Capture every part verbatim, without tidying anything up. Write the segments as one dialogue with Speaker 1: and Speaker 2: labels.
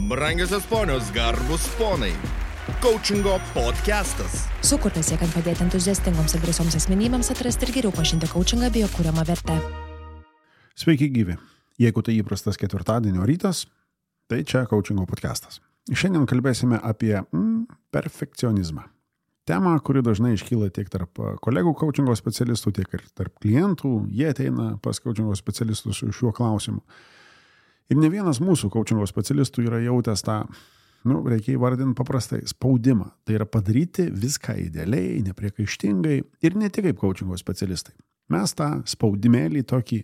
Speaker 1: Brangiosios ponios, garbus ponai. Coachingo podcastas.
Speaker 2: Sukurtas siekiant padėti entuziastingoms ir drąsioms asmenybėms atrasti ir geriau pažinti coachingą bei jo kuriamą vertę.
Speaker 3: Sveiki gyvi. Jeigu tai įprastas ketvirtadienio rytas, tai čia Coachingo podcastas. Šiandien kalbėsime apie mm, perfekcionizmą. Tema, kuri dažnai iškyla tiek tarp kolegų coachingo specialistų, tiek ir tarp klientų. Jie ateina pas coachingo specialistus su šiuo klausimu. Ir ne vienas mūsų coachingo specialistų yra jautęs tą, nu, reikia įvardinti paprastai, spaudimą. Tai yra padaryti viską idealiai, nepriekaištingai ir ne tik kaip coachingo specialistai. Mes tą spaudimėlį tokį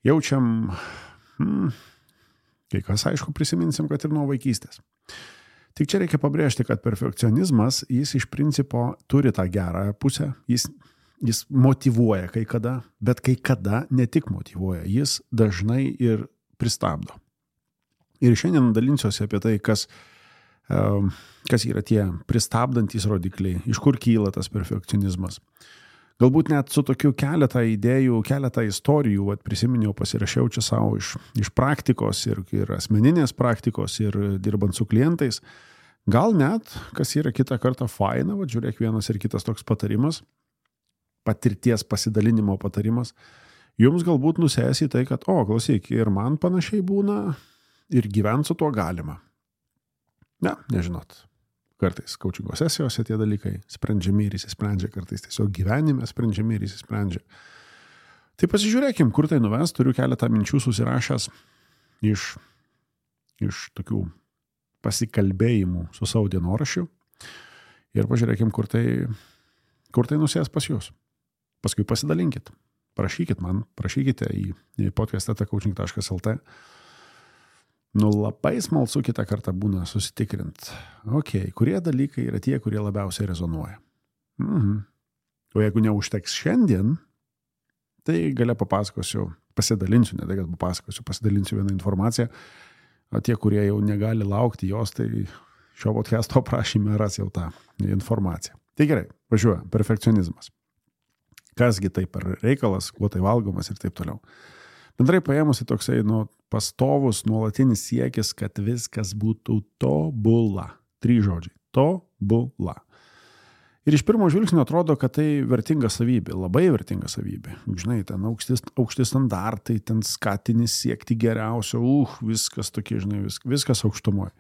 Speaker 3: jaučiam, hmm, kai kas aišku prisiminsim, kad ir nuo vaikystės. Tik čia reikia pabrėžti, kad perfekcionizmas, jis iš principo turi tą gerą pusę, jis, jis motyvuoja kai kada, bet kai kada ne tik motyvuoja, jis dažnai ir pristabdo. Ir šiandien dalinsiuosi apie tai, kas, kas yra tie pristabdantys rodikliai, iš kur kyla tas perfekcionizmas. Galbūt net su tokiu keletą idėjų, keletą istorijų, vat, prisiminiau, pasirašiau čia savo iš, iš praktikos ir, ir asmeninės praktikos ir dirbant su klientais. Gal net, kas yra kitą kartą faina, vat, žiūrėk, vienas ir kitas toks patarimas, patirties pasidalinimo patarimas, jums galbūt nusės į tai, kad, o, klausyk, ir man panašiai būna ir gyvent su tuo galima. Ne, nežinot. Kartais coachingo sesijose tie dalykai sprendžiami ir įsisprendžia, kartais tiesiog gyvenime sprendžiami ir įsisprendžia. Tai pasižiūrėkim, kur tai nuves, turiu keletą minčių susirašęs iš, iš tokių pasikalbėjimų su savo dienoraščiu ir pažiūrėkim, kur tai, kur tai nusės pas jūs. Paskui pasidalinkit, prašykit man, prašykite į, į podcast eta coaching taškas el t. Nu, labai smalsu kitą kartą būna susitikrint. Ok, kurie dalykai yra tie, kurie labiausiai rezonuoja. Mhm. O jeigu neužteks šiandien, tai galia papasakosiu, pasidalinsiu, ne tai, kad papasakosiu, pasidalinsiu vieną informaciją. O tie, kurie jau negali laukti jos, tai šio podcasto aprašyme ras jau tą informaciją. Tai gerai, važiuoja, perfekcionizmas. Kasgi tai per reikalas, kuo tai valgomas ir taip toliau. Bendrai paėmusi toksai, nu, pastovus, nuolatinis siekis, kad viskas būtų tobula. Trys žodžiai. Tobula. Ir iš pirmo žvilgsnio atrodo, kad tai vertinga savybė, labai vertinga savybė. Žinai, ten aukšti, aukšti standartai, ten skatinis siekti geriausio, uh, viskas tokie, žinai, vis, viskas aukštumoje.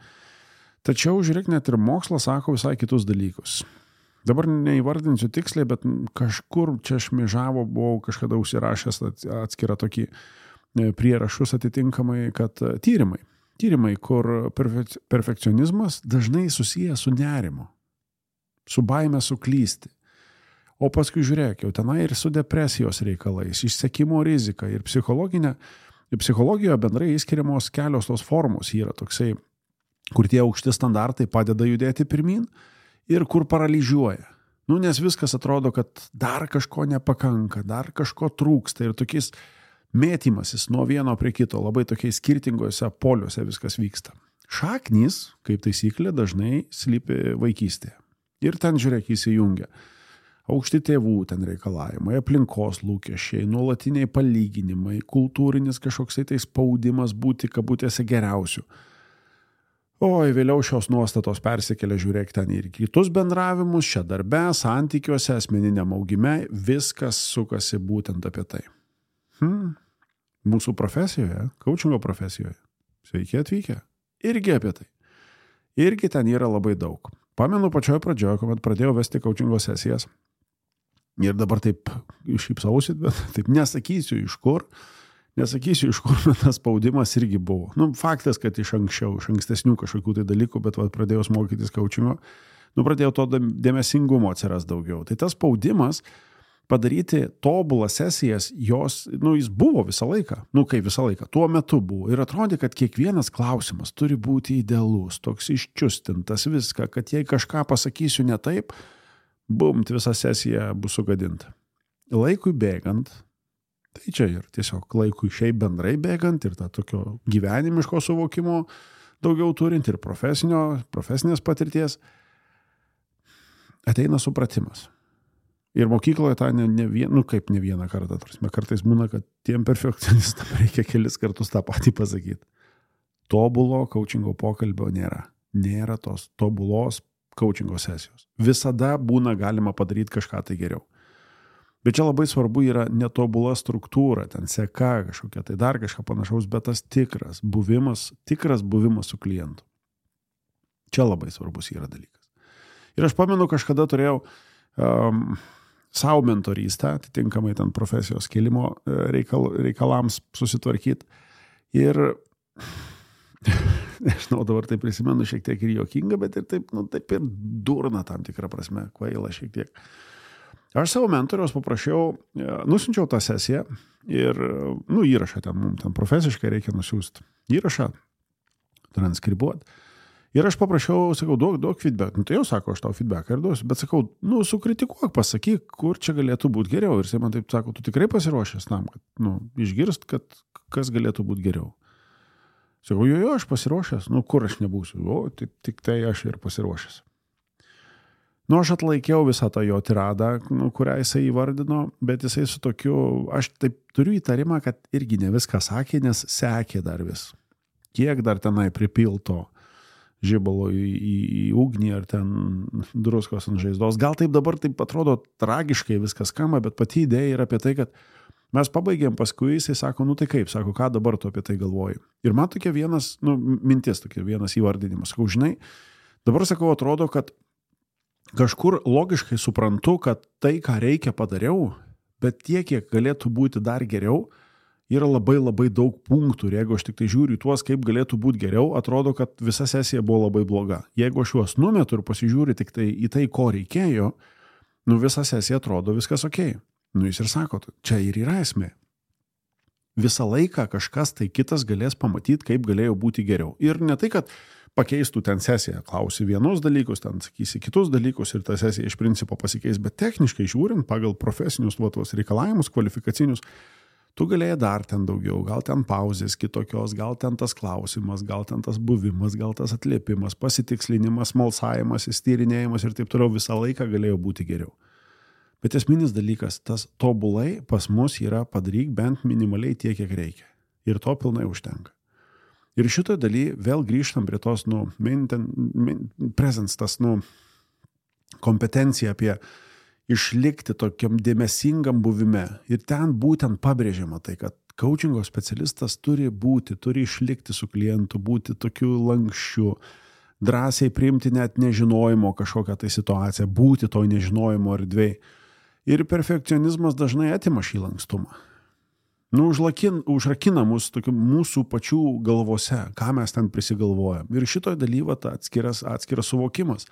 Speaker 3: Tačiau, žiūrėk, net ir mokslas sako visai kitus dalykus. Dabar neįvardinsiu tiksliai, bet kažkur čia šmižavo, buvau kažkada užsirašęs atskirą tokį prierašus atitinkamai, kad tyrimai, tyrimai, kur perfe- perfekcionizmas dažnai susijęs su nerimu, su baime suklysti. O paskui žiūrėk, jau tenai ir su depresijos reikalais, išsekimo rizika ir psichologinė, ir psichologijoje bendrai įskiriamos kelios tos formos yra toksai, kur tie aukšti standartai padeda judėti pirmin ir kur paralyžiuoja. Nu, nes viskas atrodo, kad dar kažko nepakanka, dar kažko trūksta ir tokiais mėtymasis nuo vieno prie kito, labai tokiais skirtingose poliuose viskas vyksta. Šaknys, kaip taisyklė, dažnai slypi vaikystėje. Ir ten, žiūrėk, įsijungia. Aukšti tėvų ten reikalavimai, aplinkos lūkesčiai, nuolatiniai palyginimai, kultūrinis kažkoksai tai spaudimas būti kabutėse geriausiu. Oi, vėliau šios nuostatos persikelia, žiūrėk, ten ir kitus bendravimus, čia darbe, santykiuose, asmeniniam augime, viskas sukasi būtent apie tai. Hmm. Mūsų profesijoje, coachingo profesijoje, sveiki atvykę, irgi apie tai. Irgi ten yra labai daug. Pamenu pačioje pradžioje, kuomet pradėjau vesti coachingo sesijas ir dabar taip šypsausi, bet taip nesakysiu iš kur, nesakysiu iš kur tas spaudimas irgi buvo. Nu, faktas, kad iš anksčiau, iš ankstesnių kažkokių tai dalykų, bet va, pradėjau mokytis coachingo, nu, pradėjau to dėmesingumo atsiras daugiau. Tai tas spaudimas padaryti tobulas sesijas, jos, nu, jis buvo visą laiką, nu, kaip visą laiką, tuo metu buvo. Ir atrodė, kad kiekvienas klausimas turi būti idealus, toks iščiustintas viską, kad jei kažką pasakysiu ne taip, bumt, visa sesija bus sugadinta. Laikui bėgant, tai čia ir tiesiog laikui šiaip bendrai bėgant ir tą tokio gyvenimiško suvokimo daugiau turint ir profesinio, profesinės patirties, ateina supratimas. Ir mokykloje tą ne, ne vien, nu kaip ne vieną kartą, tarsi, kartais būna, kad tiem perfekcionistam reikia kelis kartus tą patį pasakyti. tobulo coachingo pokalbio nėra. Nėra tos tobulos coachingo sesijos. Visada būna galima padaryti kažką tai geriau. Bet čia labai svarbu yra netobula struktūra, ten seka kažkokia, tai dar kažką panašaus, bet tas tikras buvimas, tikras buvimas su klientu. Čia labai svarbus yra dalykas. Ir aš pamenu, kažkada turėjau um, savo mentorystę, atitinkamai ten profesijos kelimo reikal, reikalams susitvarkyti. Ir, nežinau, dabar tai prisimenu šiek tiek ir juokinga, bet ir taip, nu, taip ir durna tam tikrą prasme, kvaila šiek tiek. Aš savo mentoriaus paprašiau, nusiunčiau tą sesiją ir, nu, įrašą ten, mums ten profesiškai reikia nusiųsti įrašą, transkribuoti. Ir aš paprašiau, sakau, duok, duok feedback. Nu, tai jau sako, aš tau feedbacką ir duosiu, bet sakau, nu, sukritikuok, pasakyk, kur čia galėtų būti geriau. Ir jis man taip sako, tu tikrai pasiruošęs tam, kad, nu, išgirst, kad kas galėtų būti geriau. Sakau, jo, jo, aš pasiruošęs, nu, kur aš nebūsiu, o, tik, tik tai aš ir pasiruošęs. Nu, aš atlaikiau visą tą jo tiradą, nu, kurią jisai įvardino, bet jisai su tokiu, aš taip turiu įtarimą, kad irgi ne viską sakė, nes sekė dar vis. Kiek dar tenai pripilto žibalo į, į, į ugnį ar ten druskos ant žaizdos. Gal taip dabar taip atrodo tragiškai viskas skamba, bet pati idėja yra apie tai, kad mes pabaigėm paskui, jisai sako, nu tai kaip, sako, ką dabar tu apie tai galvoji. Ir man tokia vienas, nu, mintis, tokia vienas įvardinimas. Sakau, žinai, dabar sakau, atrodo, kad kažkur logiškai suprantu, kad tai, ką reikia padariau, bet tiek, kiek galėtų būti dar geriau, yra labai labai daug punktų. Ir jeigu aš tik tai žiūriu į tuos, kaip galėtų būti geriau, atrodo, kad visa sesija buvo labai bloga. Jeigu aš juos numetu ir pasižiūriu tik tai į tai, ko reikėjo, nu visa sesija atrodo viskas okei. Nu jis ir sako, čia ir yra esmė. Visą laiką kažkas tai kitas galės pamatyti, kaip galėjo būti geriau. Ir ne tai, kad pakeistų ten sesiją, klausi vienus dalykus, ten sakysi kitus dalykus ir ta sesija iš principo pasikeis, bet techniškai žiūrint pagal profesinius tuos reikalavimus, kvalifikacinius, tu galėjai dar ten daugiau, gal ten pauzės kitokios, gal ten tas klausimas, gal ten tas buvimas, gal tas atliepimas, pasitikslinimas, smalsavimas, įstyrinėjimas ir taip toliau visą laiką galėjo būti geriau. Bet esminis dalykas, tas tobulai pas mus yra padaryk bent minimaliai tiek, kiek reikia. Ir to pilnai užtenka. Ir šitoje dalyje vėl grįžtam prie tos, nu, mainten, main, presence, tas, nu, kompetencija apie išlikti tokiam dėmesingam buvime. Ir ten būtent pabrėžiama tai, kad coachingo specialistas turi būti, turi išlikti su klientu, būti tokiu lankščiu, drąsiai priimti net nežinojimo kažkokią tai situaciją, būti toj nežinojimo erdvėj. Ir perfekcionizmas dažnai atima šį lankstumą. Nu, užlakin, užrakina mus tokiu mūsų pačių galvose, ką mes ten prisigalvojam. Ir šitoj dalyva ta atskiras, atskiras suvokimas.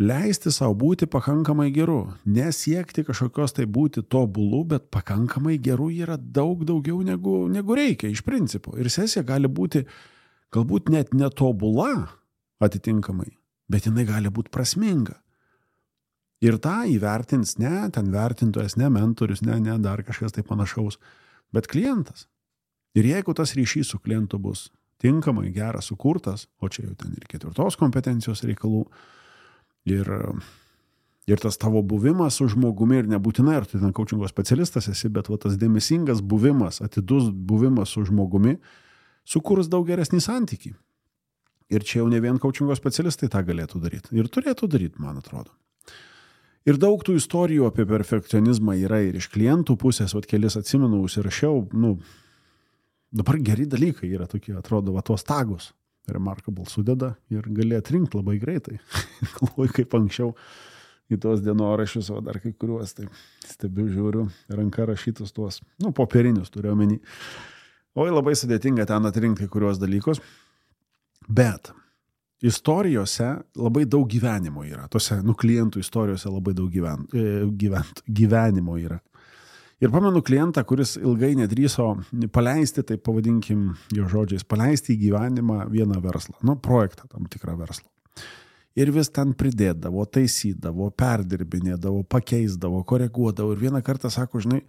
Speaker 3: Leisti savo būti pakankamai geru. Nesiekti kažkokios tai būti tobulų, bet pakankamai geru yra daug daugiau negu, negu reikia iš principo. Ir sesija gali būti galbūt net netobula atitinkamai, bet jinai gali būti prasminga. Ir tą įvertins ne ten vertintojas, ne mentorius, ne, ne dar kažkas tai panašaus, bet klientas. Ir jeigu tas ryšys su klientu bus tinkamai geras sukurtas, o čia jau ten ir ketvirtos kompetencijos reikalų, Ir, ir tas tavo buvimas su žmogumi ir nebūtinai, ar tu ten coachingo specialistas esi, bet va, tas dėmesingas buvimas, atidus buvimas su žmogumi sukurs daug geresnį santykį. Ir čia jau ne vien coachingo specialistai tą galėtų daryti. Ir turėtų daryti, man atrodo. Ir daug tų istorijų apie perfekcionizmą yra ir iš klientų pusės, vat kelis atsimenu, užsirašiau, nu, dabar geri dalykai yra tokie, atrodo, va, tuos tagus. Remarkable sudeda ir gali atrinkti labai greitai. Galvoju, kaip anksčiau į tuos dienoraščius, o dar kai kuriuos, tai stebiu, žiūriu, ranka rašytus tuos, nu, popierinius turiu omeny. Oi, labai sudėtinga ten atrinkti kai kuriuos dalykus. Bet istorijose labai daug gyvenimo yra. Tose, nu, klientų istorijose labai daug gyven, gyvent, gyvenimo yra. Ir pamenu klientą, kuris ilgai nedrįso paleisti, tai pavadinkim jo žodžiais, paleisti į gyvenimą vieną verslą, nu, projektą tam tikrą verslą. Ir vis ten pridėdavo, taisydavo, perdirbinėdavo, pakeisdavo, koreguodavo. Ir vieną kartą sako, žinai,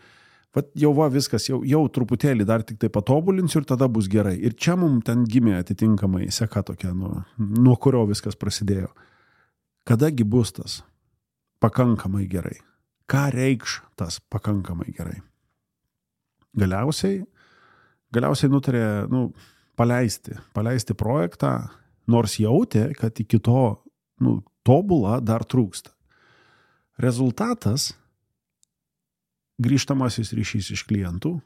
Speaker 3: vat jau va viskas, jau, jau truputėlį dar tik tai patobulinsiu ir tada bus gerai. Ir čia mums ten gimė atitinkamai seka tokia, nu, nuo kurio viskas prasidėjo. Kadagi bus tas pakankamai gerai? Ką reikš tas pakankamai gerai? Galiausiai, galiausiai nutarė, nu, paleisti, paleisti projektą, nors jautė, kad iki to nu, tobulą dar trūksta. Rezultatas grįžtamasis ryšys iš klientų,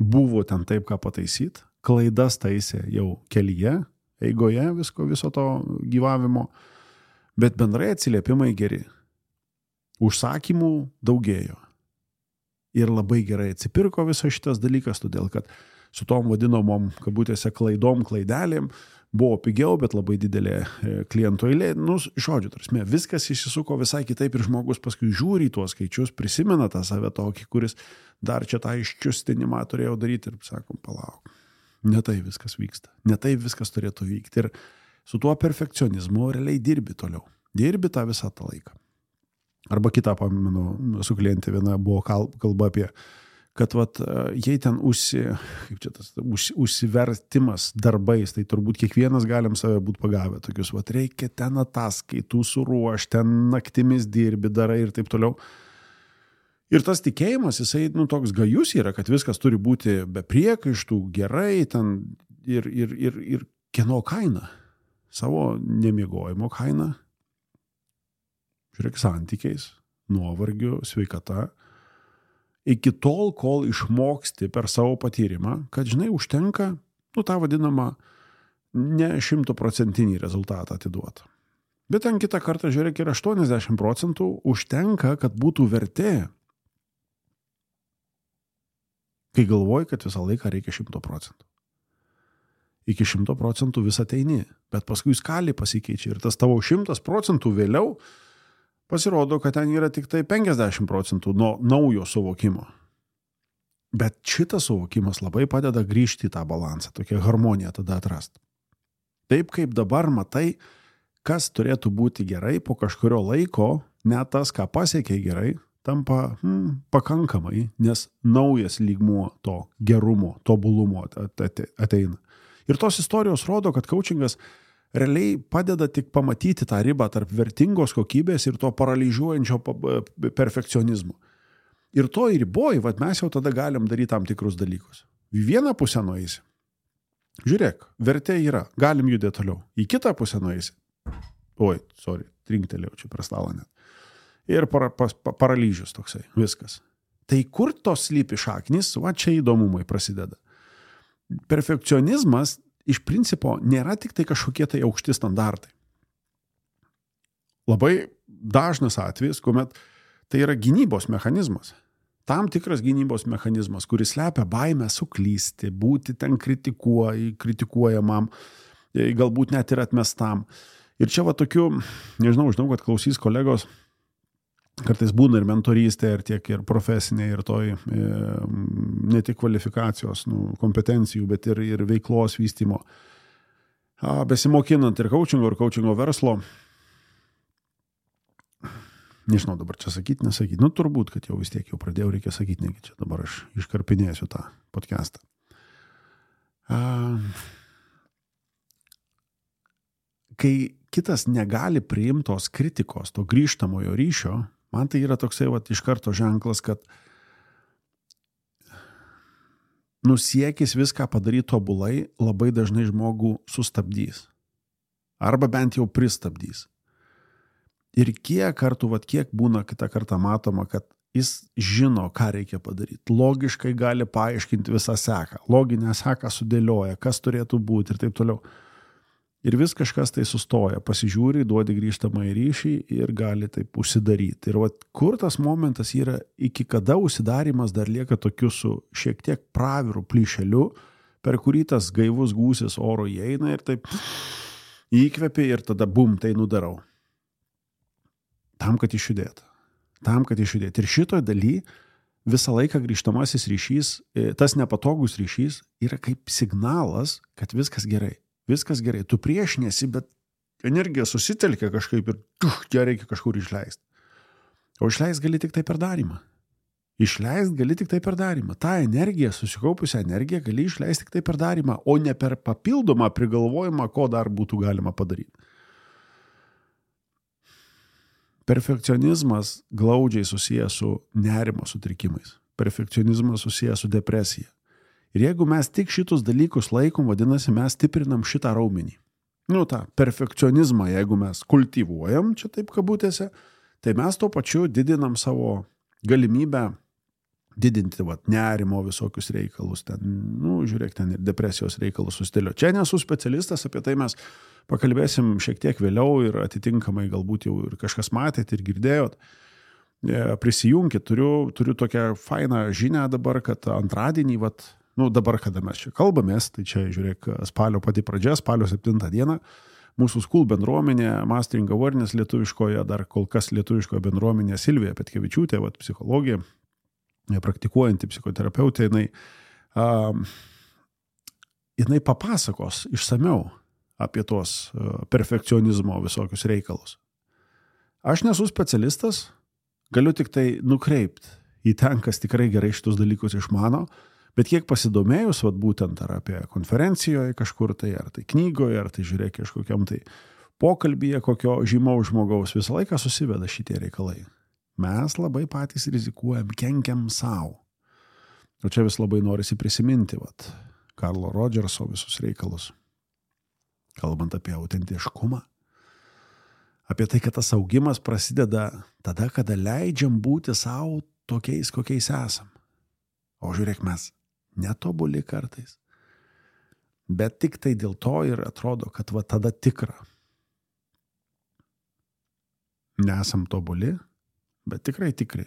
Speaker 3: buvo ten taip, ką pataisyt, klaidas taisė jau kelyje, eigoje visko, viso to gyvavimo, bet bendrai atsiliepimai geri. Užsakymų daugėjo. Ir labai gerai atsipirko visas šitas dalykas, todėl kad su tom vadinamom, kabutėse, klaidom, klaidelėm buvo pigiau, bet labai didelė klientų eilė. Nu, žodžiu, tarsi, viskas įsisuko visai kitaip ir žmogus paskui žiūri į tuos skaičius, prisimena tą save tokį, kuris dar čia tą iščiustinimą turėjo daryti ir sakom, palauk. Ne tai viskas vyksta. Ne tai viskas turėtų vykti. Ir su tuo perfekcionizmu realiai dirbi toliau. Dirbi tą visą tą laiką. Arba kitą, pamenu, su klientė viena buvo kalba apie, kad vat, jei ten užsi, kaip čia tas, už, užsivertimas darbais, tai turbūt kiekvienas galim save būti pagavę. Tokius, vat, reikia ten ataskaitų suruoš, ten naktimis dirbi, darai ir taip toliau. Ir tas tikėjimas, jisai nu, toks gajus yra, kad viskas turi būti be priekaištų, gerai, ten ir, ir, ir, ir kieno kaina, savo nemiegojimo kaina. Žiūrėk, santykiais, nuovargiu, sveikata. Iki tol, kol išmoksti per savo patyrimą, kad, žinai, užtenka, nu, tą vadinamą ne šimtaprocentinį rezultatą atiduoti. Bet ten kitą kartą, žiūrėk, ir aštuoniasdešimt procentų užtenka, kad būtų vertė. Kai galvoji, kad visą laiką reikia šimto procentų. Iki šimto procentų vis ateini, bet paskui skalė pasikeičia ir tas tavo šimtas procentų vėliau pasirodo, kad ten yra tik tai penkiasdešimt procentų nuo naujo suvokimo. Bet šitas suvokimas labai padeda grįžti į tą balansą, tokią harmoniją tada atrasti. Taip kaip dabar matai, kas turėtų būti gerai po kažkurio laiko, net tas, ką pasiekė gerai, tampa hmm, pakankamai, nes naujas lygmuo to gerumo, tobulumo ateina. Ir tos istorijos rodo, kad coachingas realiai padeda tik pamatyti tą ribą tarp vertingos kokybės ir to paralyžiuojančio perfekcionizmo. Ir to ir riboji, vad mes jau tada galim daryti tam tikrus dalykus. Į vieną pusę nueisi. Žiūrėk, vertė yra, galim judėti toliau. Į kitą pusę nueisi. Oi, sorry, trinktelėjau čia prie stalą net. Ir para, pa, paralyžius toksai, viskas. Tai kur tos slypi šaknis, va čia įdomumai prasideda. Perfekcionizmas iš principo nėra tik tai kažkokie tai aukšti standartai. Labai dažnas atvejis, kuomet tai yra gynybos mechanizmas. Tam tikras gynybos mechanizmas, kuris slepia baimę suklysti, būti ten kritikuoj, kritikuojamam, galbūt net ir atmestam. Ir čia va tokių, nežinau, žinau, kad klausys kolegos, kartais būna ir mentorystė, ir tiek ir profesinė, ir toj e, ne tik kvalifikacijos, nu, kompetencijų, bet ir, ir veiklos vystymo. A, besimokinant ir coachingo, ir coachingo verslo. Nežinau dabar čia sakyti, nesakyti. Nu, turbūt, kad jau vis tiek jau pradėjau, reikia sakyti, negi čia dabar aš iškarpinėsiu tą podcastą. A, kai kitas negali priimtos kritikos, to grįžtamojo ryšio, man tai yra toksai vat, iš karto ženklas, kad nusiekis viską padaryti tobulai labai dažnai žmogų sustabdys. Arba bent jau pristabdys. Ir kiek kartų, vat, kiek būna kitą kartą matoma, kad jis žino, ką reikia padaryti. Logiškai gali paaiškinti visą seką. Loginę seką sudėlioja, kas turėtų būti ir taip toliau. Ir vis kažkas tai sustoja, pasižiūri, duodi grįžtamą į ryšį ir gali taip užsidaryti. Ir vat, kur tas momentas yra, iki kada užsidarimas dar lieka tokiu su šiek tiek praviru plyšeliu, per kurį tas gaivus gūsis oro įeina ir taip įkvėpia ir tada bum, tai nudarau. Tam, kad išjudėtų. Tam, kad išjudėtų. Ir šitoj daly visą laiką grįžtamasis ryšys, tas nepatogus ryšys yra kaip signalas, kad viskas gerai. Viskas gerai, tu priešinėsi, bet energija susitelkia kažkaip ir tuh, ją reikia kažkur išleisti. O išleist gali tik tai per darymą. Išleist gali tik tai per darymą. Ta energija, susikaupusią energiją gali išleisti tik tai per darymą, o ne per papildomą prigalvojimą, ko dar būtų galima padaryti. Perfekcionizmas glaudžiai susijęs su nerimo sutrikimais. Perfekcionizmas susijęs su depresija. Ir jeigu mes tik šitus dalykus laikom, vadinasi, mes stiprinam šitą raumenį. Nu, tą perfekcionizmą, jeigu mes kultivuojam, čia taip kabutėse, tai mes tuo pačiu didinam savo galimybę didinti vat, nerimo visokius reikalus, ten, nu, žiūrėk, ten ir depresijos reikalus sustėlio. Čia nesu specialistas, apie tai mes pakalbėsim šiek tiek vėliau ir atitinkamai galbūt jau ir kažkas matėt ir girdėjot. Prisijunkit, turiu, turiu tokią fainą žinią dabar, kad antradienį, vat, nu, dabar, kada mes čia kalbamės, tai čia, žiūrėk, spalio pati pradžia, spalio septintą dieną, mūsų School bendruomenė, Mastering Awareness lietuviškoje, dar kol kas lietuviškoje bendruomenė Silvija Petkevičiūtė, vat, psichologija, praktikuojanti psichoterapeutė, jinai, uh, jinai papasakos išsamiau apie tos uh, perfekcionizmo visokius reikalus. Aš nesu specialistas, galiu tik tai nukreipti į ten, kas tikrai gerai šitus dalykus išmano, bet kiek pasidomėjus, vat, būtent ar apie konferencijoje kažkur tai, ar tai knygoje, ar tai žiūrėk kažkokiam tai pokalbyje kokio žymaus žmogaus, visą laiką susiveda šitie reikalai. Mes labai patys rizikuojam, kenkiam savo. O čia vis labai norisi prisiminti, vat, Karlo Rodžerso visus reikalus. Kalbant apie autentiškumą. Apie tai, kad tas augimas prasideda tada, kada leidžiam būti savo tokiais, kokiais esam. O žiūrėk, mes netobuli kartais. Bet tik tai dėl to ir atrodo, kad va tada tikra. Nesam tobuli, bet tikrai tikrai.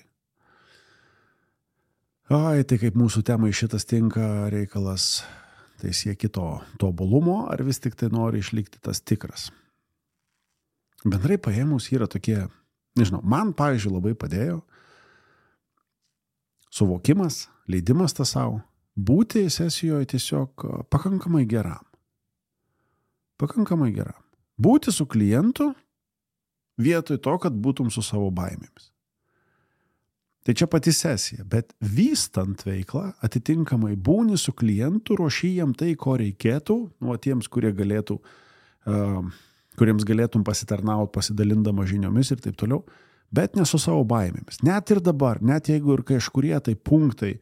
Speaker 3: Ai, tai kaip mūsų temai šitas tinka reikalas, tai sieki to tobulumo, ar vis tik tai nori išlikti tas tikras. Bendrai paėmus yra tokie, nežinau, man, pavyzdžiui, labai padėjo suvokimas, leidimas tas savo, būti sesijoje tiesiog pakankamai geram. Pakankamai geram. Būti su klientu vietoj to, kad būtum su savo baimėmis. Tai čia pati sesija, bet vystant veiklą, atitinkamai būni su klientu, ruoši jam tai, ko reikėtų, nuo tiems, kurie galėtų, uh, kuriems galėtum pasitarnauti, pasidalindama žiniomis ir taip toliau, bet ne su savo baimėmis. Net ir dabar, net jeigu ir kažkurie tai punktai,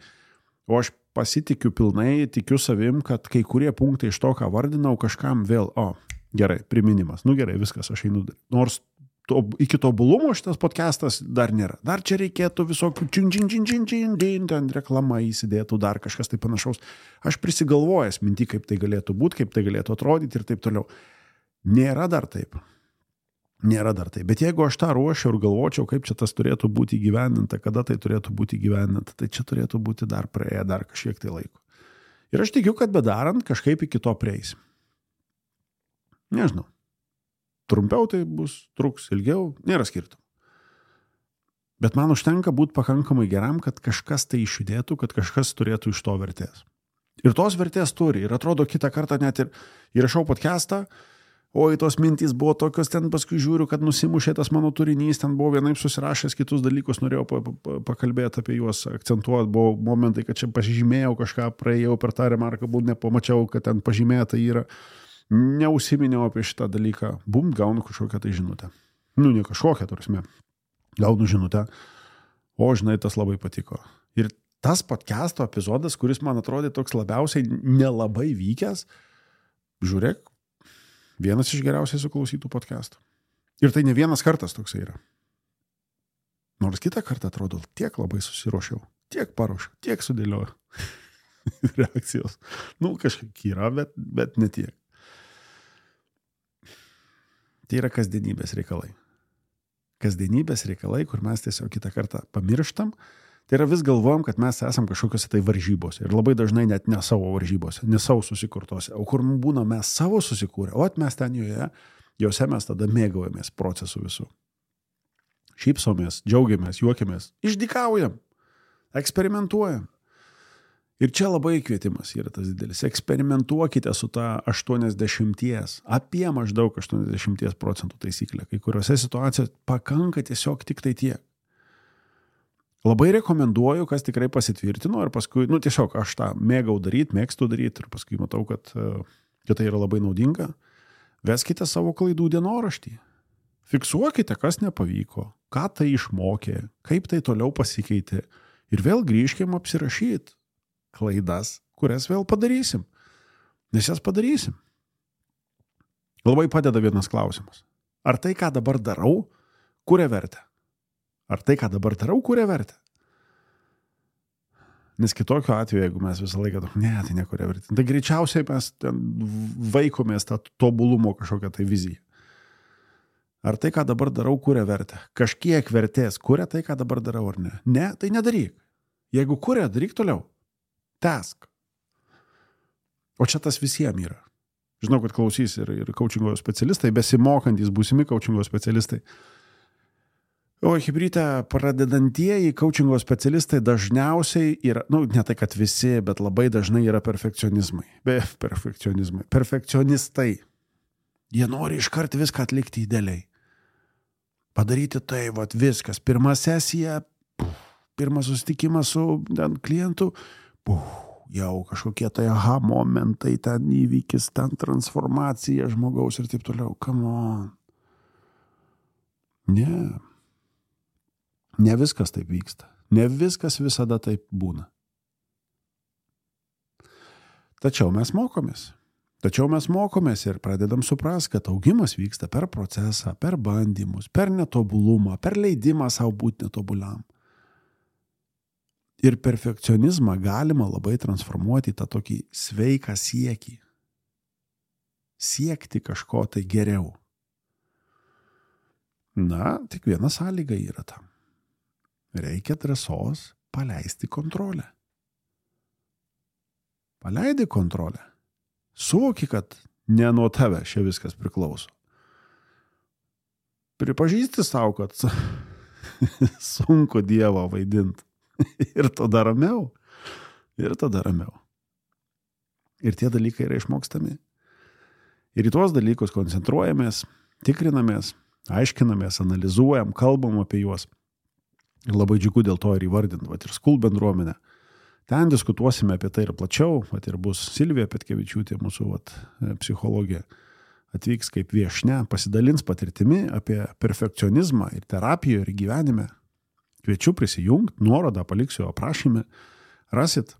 Speaker 3: o aš pasitikiu pilnai, tikiu savim, kad kai kurie punktai iš to, ką vardinau, kažkam vėl, o, gerai, priminimas, nu gerai, viskas, aš einu, nors to, iki tobulumo šitas podcastas dar nėra. Dar čia reikėtų visokių čin, čin, čin, čin, čin, čin, ten reklama įsidėtų, dar kažkas tai panašaus. Aš prisigalvojęs minti, kaip tai galėtų būti, kaip tai galėtų atrodyti ir taip toliau. Nėra dar taip. Nėra dar taip. Bet jeigu aš tą ruošiu ir galvočiau, kaip čia tas turėtų būti įgyvendinta, kada tai turėtų būti įgyvendinta, tai čia turėtų būti dar praėję, dar kažkiek tai laiko. Ir aš tikiu, kad bedarant kažkaip iki to prieisim. Nežinau. Trumpiau tai bus, truks ilgiau, nėra skirtumų. Bet man užtenka būti pakankamai geram, kad kažkas tai išjudėtų, kad kažkas turėtų iš to vertės. Ir tos vertės turi. Ir atrodo, kitą kartą net ir įrašau podcastą, o į tos mintys buvo tokios, ten paskui žiūriu, kad nusimušė tas mano turinys, ten buvo vienaip susirašęs kitus dalykus, norėjau pa, pa, pakalbėti apie juos, akcentuoti, buvo momentai, kad čia pažymėjau kažką, praėjau per tą remarką, būt nepamačiau, kad ten pažymėta yra. Neužsiminiau apie šitą dalyką, bum, gaunu kažkokią tai žinutę. Nu, ne kažkokią, tarsi, gaunu žinutę, o žinai, tas labai patiko. Ir tas podcast'o epizodas, kuris man atrodė toks labiausiai nelabai vykęs, žiūrėk, vienas iš geriausiai suklausytų podcast'ų. Ir tai ne vienas kartas toksai yra. Nors kitą kartą atrodo, tiek labai susiruošiau, tiek paruošiau, tiek sudėliojau reakcijos. Nu, kažkiek yra, bet, bet ne tiek. Tai yra kasdienybės reikalai. Kasdienybės reikalai, kur mes tiesiog kitą kartą pamirštam, tai yra vis galvojam, kad mes esam kažkokiose tai varžybose. Ir labai dažnai net ne savo varžybose, ne savo susikurtose. O kur būna mes savo susikūrę, o mes ten joje, jose mes tada mėgaujamės procesų visų. Šypsomės, džiaugiamės, juokiamės, išdykaujam, eksperimentuojam. Ir čia labai kvietimas yra tas didelis. Eksperimentuokite su ta aštuoniasdešimties, apie maždaug aštuoniasdešimties procentų taisyklė. Kai kuriuose situacijose pakanka tiesiog tik tai tiek. Labai rekomenduoju, kas tikrai pasitvirtino ir paskui, nu tiesiog aš tą mėgau daryti, mėgstu daryti ir paskui matau, kad, kad tai yra labai naudinga. Veskite savo klaidų dienoraštį. Fiksuokite, kas nepavyko, ką tai išmokė, kaip tai toliau pasikeitė ir vėl grįžkime apsirašyti. klaidas, kurias vėl padarysim. Nes jas padarysim. Labai padeda vienas klausimas. Ar tai, ką dabar darau, kuria vertę? Ar tai, ką dabar darau, kuria vertę? Nes kitokio atveju, jeigu mes visą laiką, ne, tai nekuria vertė. Tai greičiausiai mes ten vaikomės tą tobulumo kažkokią tai viziją. Ar tai, ką dabar darau, kuria vertę? Kažkiek vertės kuria tai, ką dabar darau, ar ne? Ne, tai nedaryk. Jeigu kuria, daryk toliau. Tęsk. O čia tas visiems yra. Žinau, kad klausys ir, ir coachingo specialistai, besimokantys, būsimi coachingo specialistai. O hibryte pradedantieji coachingo specialistai dažniausiai yra, nu, ne tai, kad visi, bet labai dažnai yra perfekcionizmai. Be perfekcionizmai. Perfekcionistai. Jie nori iškart viską atlikti idealiai. Padaryti tai, vat viskas. Pirma sesija, puf, pirmas susitikimas su ten, klientu, puf, jau kažkokie tai aha momentai, ten įvykis, ten transformacija žmogaus ir taip toliau. Come on. Ne. Ne viskas taip vyksta. Ne viskas visada taip būna. Tačiau mes mokomės. Tačiau mes mokomės ir pradedam suprasti, kad augimas vyksta per procesą, per bandymus, per netobulumą, per leidimą savo būti netobuliam. Ir perfekcionizmą galima labai transformuoti į tą tokį sveiką siekį. Siekti kažko tai geriau. Na, tik viena sąlyga yra tam. Reikia drąsos paleisti kontrolę. Paleidi kontrolę. Suvoki, kad ne nuo tave čia viskas priklauso. Pripažįsti savo, kad sunku Dievą vaidinti. Ir tada ramiau. Ir tada ramiau. Ir tie dalykai yra išmokstami. Ir į tuos dalykus koncentruojamės, tikrinamės, aiškinamės, analizuojam, kalbam apie juos. Ir labai džiugu dėl to ir įvardint, vat ir Skul bendruomenę. Ten diskutuosime apie tai ir plačiau, vat ir bus Silvija Petkevičiūtė, mūsų vat, psichologė, atvyks kaip viešnia, pasidalins patirtimi apie perfekcionizmą ir terapijoje, ir gyvenime. Kviečiu prisijungti, nuorodą paliksiu aprašyme, rasit,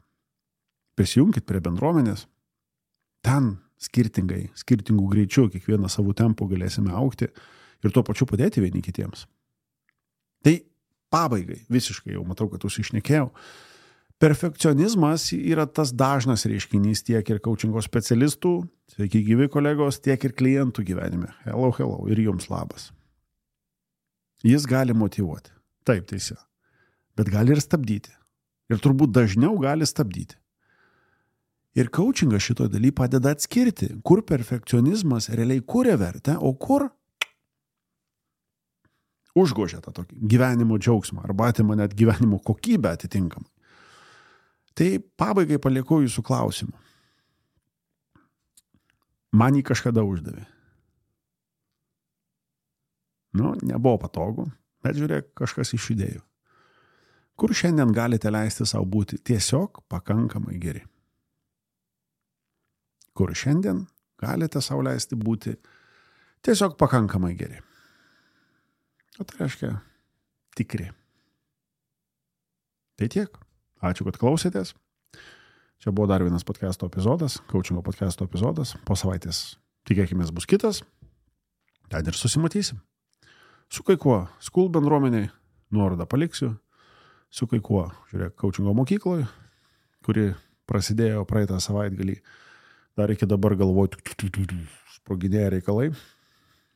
Speaker 3: prisijungkit prie bendruomenės. Ten skirtingai, skirtingų greičių, kiekvieną savo tempų galėsime augti ir tuo pačiu padėti vieni kitiems. Tai pabaigai, visiškai jau matau, kad užsišnekėjau. Perfekcionizmas yra tas dažnas reiškinys tiek ir coachingo specialistų, sveiki gyvi kolegos, tiek ir klientų gyvenime. Hello, hello, ir jums labas. Jis gali motyvuoti, taip teisė, bet gali ir stabdyti. Ir turbūt dažniau gali stabdyti. Ir coachingas šitoje daly padeda atskirti, kur perfekcionizmas realiai kuria vertę, o kur užgožia tą tokį gyvenimo džiaugsmą arba atima net gyvenimo kokybę atitinkamai. Tai pabaigai palieku jūsų klausimų. Man jį kažkada uždavė. Nu, nebuvo patogu, bet žiūrėk, kažkas iš idėjų. Kur šiandien galite leisti savo būti tiesiog pakankamai geri? Kur šiandien galite savo leisti būti tiesiog pakankamai geri? O tai reiškia tikri. Tai tiek. Ačiū, kad klausėtės. Čia buvo dar vienas podcasto epizodas, coachingo podcasto epizodas. Po savaitės tikėkimės bus kitas. Ten ir susimatysim. Su kai kuo Skul bendruomeniai, nuorodą paliksiu. Su kai kuo, žiūrėk, coachingo mokykloje, kuri prasidėjo praeitą savaitgalį. Dar iki dabar galvoju, sproginėja reikalai.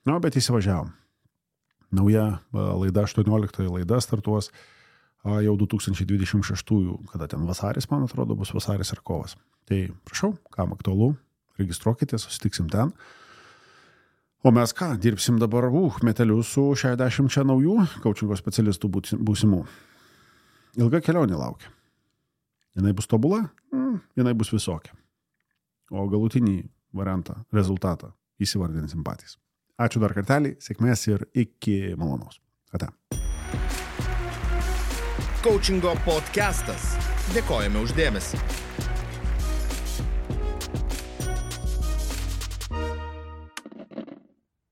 Speaker 3: Na, bet įsivažiavom. Nauja laida, aštuonioliktoji laida startuos jau du tūkstančiai dvidešimt šeštųjų, kada ten vasaris, man atrodo, bus vasaris ar kovas. Tai prašau, kam aktualu, registruokite, susitiksim ten. O mes ką, dirbsim dabar uh, metelius su šešiasdešimt čia naujų coachingo specialistų būsimų. Ilga kelionė laukia. Jinai bus tobula, mm, jinai bus visokia. O galutinį variantą, rezultatą įsivardinsim patys. Ačiū dar kartelį, sėkmės ir iki malonaus. Ate.
Speaker 1: Coachingo podcastas. Dėkojame už dėmesį.